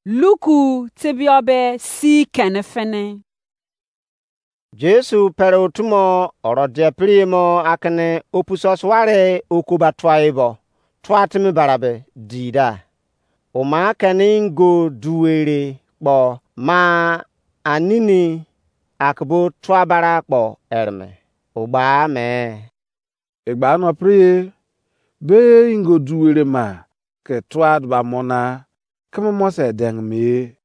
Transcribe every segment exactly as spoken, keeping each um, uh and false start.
Luku tebiobe si kene fini. Jesu pere otumo oro dia piriyemo akene opuso suware okoba tuai bo tua timi barabe di da. Oma keni ingo duwere kpo ma anini akebo tua bara kpo ereme. Ogba me. Egba no priye, be ingo duwere ma ke tua ba mo na, keme mo se deng me.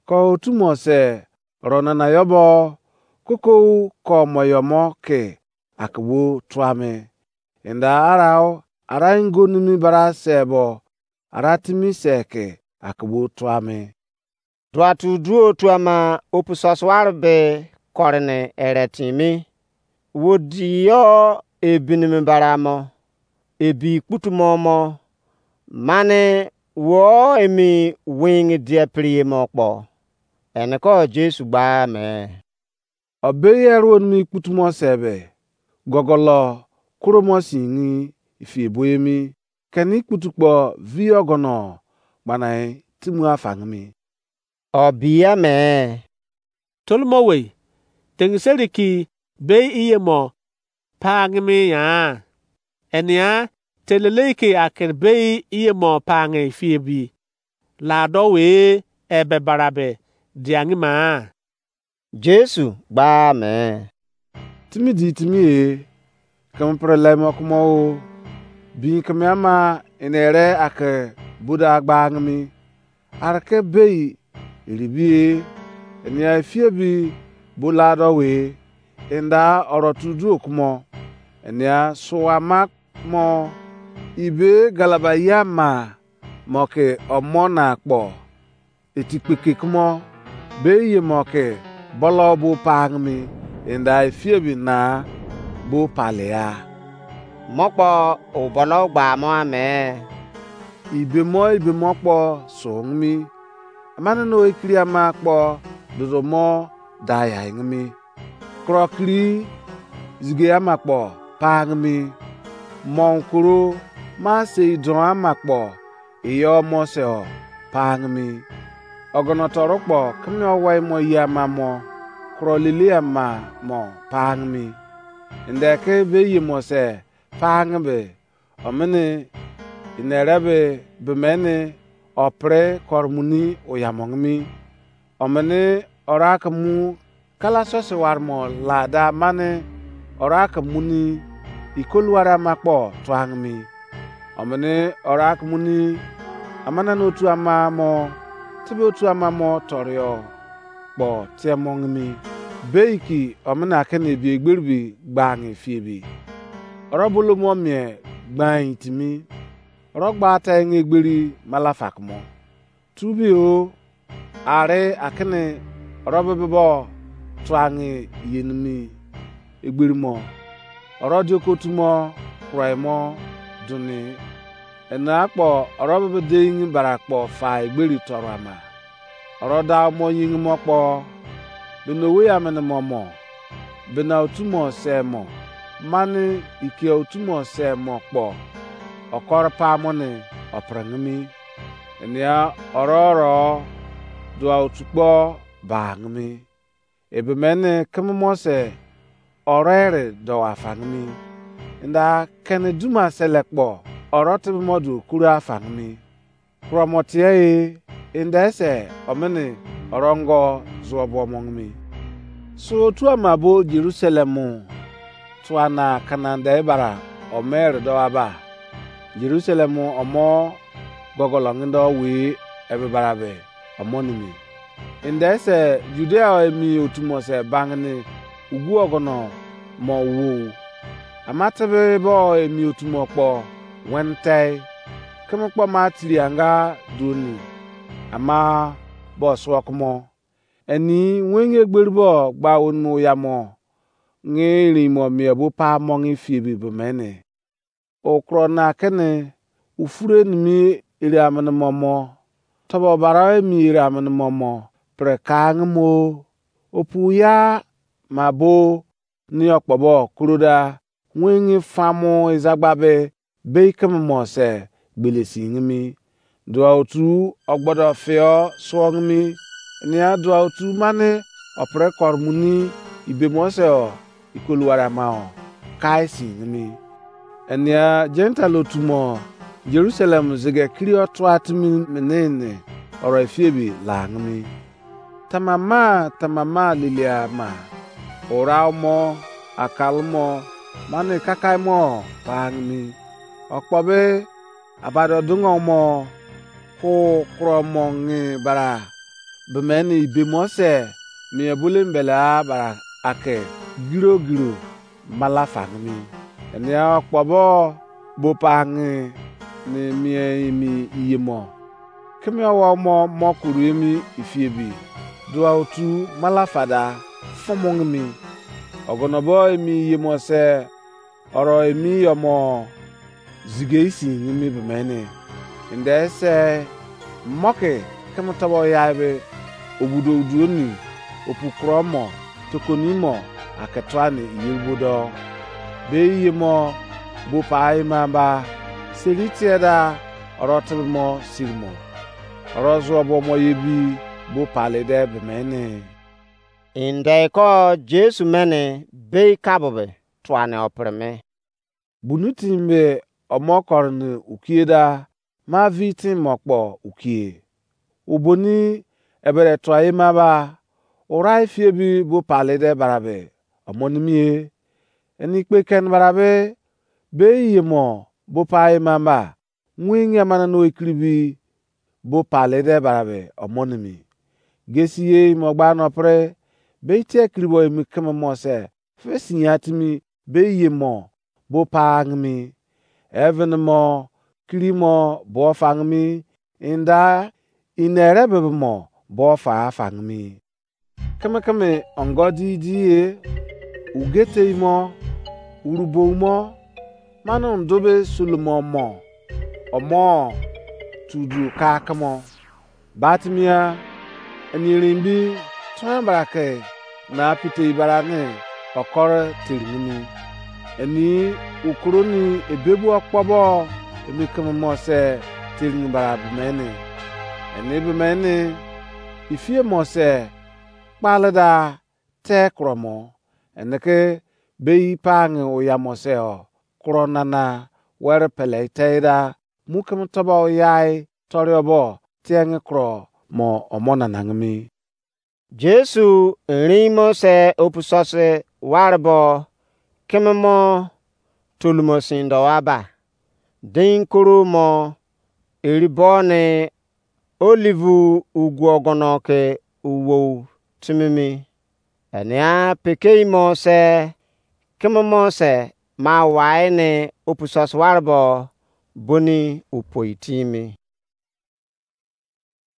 Ko otu mo se ro nana yo bo, koko ko mo yo mo ke akebo tua me. Enda arau, ara ingo nimi bara se bo, ara timi se ke akebo tua me. Duatu duo tuama opu sosuar be korene ere timi. Wo di yo ebinimi bara mo, ebi kputumo mo, mane wo emi wing dia priye mo kpo. Ene ko Jesu gba me. Obeye ruonimi kputumo sebe, gogolo kuromo singi ifi ebo emi, keni kputu kpo vi ogono gbanai timu afangimi. Obiya me. Tolomo wei, tengiseri ki bei iye mo pangimi ya. Enia telelei ki akir bei iye mo pangi ifi ebi. Lado we ebe barabe diangi ma. Jesu gba me. Timi di timi e, keme pre lemo kumo o, bin keme ama ene ere ake buda gba angimi. Arke bei iribi e, enia efie bi bulado we, enda oro tudu okumo, enia suwa mak mo, ibe galabaya ma mo ke omo na kpo. Etikpeke kumo, be iye mo ke bolo bo pangimi, enda efie bi na bo palia. Mo kpo obono gba mo ame. Ibe mo ibe mo kpo sungimi. Amane no ekiri ama kpo dodo mo daya ingimi. Krokiri zige ama kpo pangimi. Monkuru ma sei don ama kpo iyo mo se o pangimi. Ogono toru kpo keme owai mo yi ama mo kuro lili ama mo pangimi. Ende ke be yi mo se pangimi. Omini inerebe bemeni opre kormuni oyamongimi. Omini ora ke mu kala sosi warmo lada mani ora ke muni ikoluwari ama kpo tuangimi. Omini ora ke muni amanani otu ama mo tebe otu ama mo torio kpo tiemongimi. Beiki omini akini ebi egberi bi gbangi fiebi. Oro bolomo mie gbain timi. Oro gba ta engi egberi malafa kumo. Tubi o, ari akini oro bebe bo tuangi yenimi egberi mo. Oro dioko tumo kurai mo duni. Ena akpo oro bebe deingi bara kpo fa egberi toru ama. Oro da mo yingi mo kpo, bena owei amene mo mo, bena otu mo se mo, mani ikia otu mo se mo kpo, okor pa mo ni opringimi. Enia oro oro dua otu kpo bangimi. Ebe mene keme mo se oro ere do afangimi. Enda kene duma sele kpo oro tebe mo du kuru afangimi. Kuromo tie e, ende se omini orongo zuo bo mongimi. So otu ama bo Jerusalem tuana kanande bara omeri do aba. Jerusalem omo gogolongindo wi ebe bara be omo nimi. Ende se Judea emi otu mo se bangini ugu ogono mo wo. Ama tebe bo emi otu mo kpo wentei. Keme kpo ma tiri anga doni ama bo suo kumo. Eni wengi egberi bo gba onimo oya mo ngi erin mo mie bo pa mongi fiebi bo mene. Okro na kene ufure nimi ere amene momo, tobo bara emi ere amene momo, pre kangi mo, opu ya ma bo ni okpobo kuroda, wengi famu izagba be, bei keme mo se gbele singimi. Dua otu ogbodo fio suo nimi. Enia dua otu mani opre kor muni ibemo se o ikoluwari ama o kai si nimi. Enia Gentile otu mo Jerusalem zege kiri otua timi menene oro efiebi la nimi. Tamama tamama lilia ma. Ora mo akal mo mani kakai mo pa nimi. Okpobe abado dungo mo ku kro mo ngi bara bemeni ibemo se mie bule mbele a bara ake giro giro mala fangimi. Enia okpobo bo pangi ni mie imi iyemo. Kimi owo mo mo kuru emi ifiebi dua otu mala fada fomongimi. Ogonobo emi iyemo se oro emi yomo zigei si nimi bemeni. Inde se moki kimi tobo yai be obudo uduoni opu kuro mo tokoni mo ake tuani iyerbo do. Be iye mo bo pa ima ba seri tie da oro tebe mo siri mo. Oro zuo bo mo ye bi bo pale de bemeni. Inde ko Jesu mene bei kabobe tuani opre me. Bunu tin be omo kori ni ukie da ma vi tin mo kpo ukie. Uboni ebere tua ema ba ura ifie bi bo pale de barabe omo nimi ye. Eni kpe ken barabe be iye mo bo pa ema ba nwinge amana no ekiri bi bo pale de barabe omo nimi. Gesi ye imo gba no pre be tie kiri bo emi keme mo se fe sinya timi be iye mo bo pa angimi. Even mo kiri mo bo fangimi inda inere bebe mo bo fa fangimi. Keme keme ongo di di ye ugete mo urubou mo manu ndobe sulumo mo omo tudu ka kemo. Batimia eni erin bi tuan bra ke na pitei bra ne okoro teringi mi. Eni ukuru ni ebebu okpobo emi keme mo se teringi bra bimene. Eni bimene ifie mo se kpale da te kuro mo. Eni ke bei pangi oya mo se o kuro nana were pele te da mu keme tobo yai toriobo tiengi kuro mo omo nanangimi. Jesu erin mo se opu sose ware bo keme mo tolumo sin do aba. Din koro mo eri bo ni olive ugu ogono ke uwou timimi. Enia pekei mo se keme mo se ma wai ni opu sose ware bo boni upoi timi.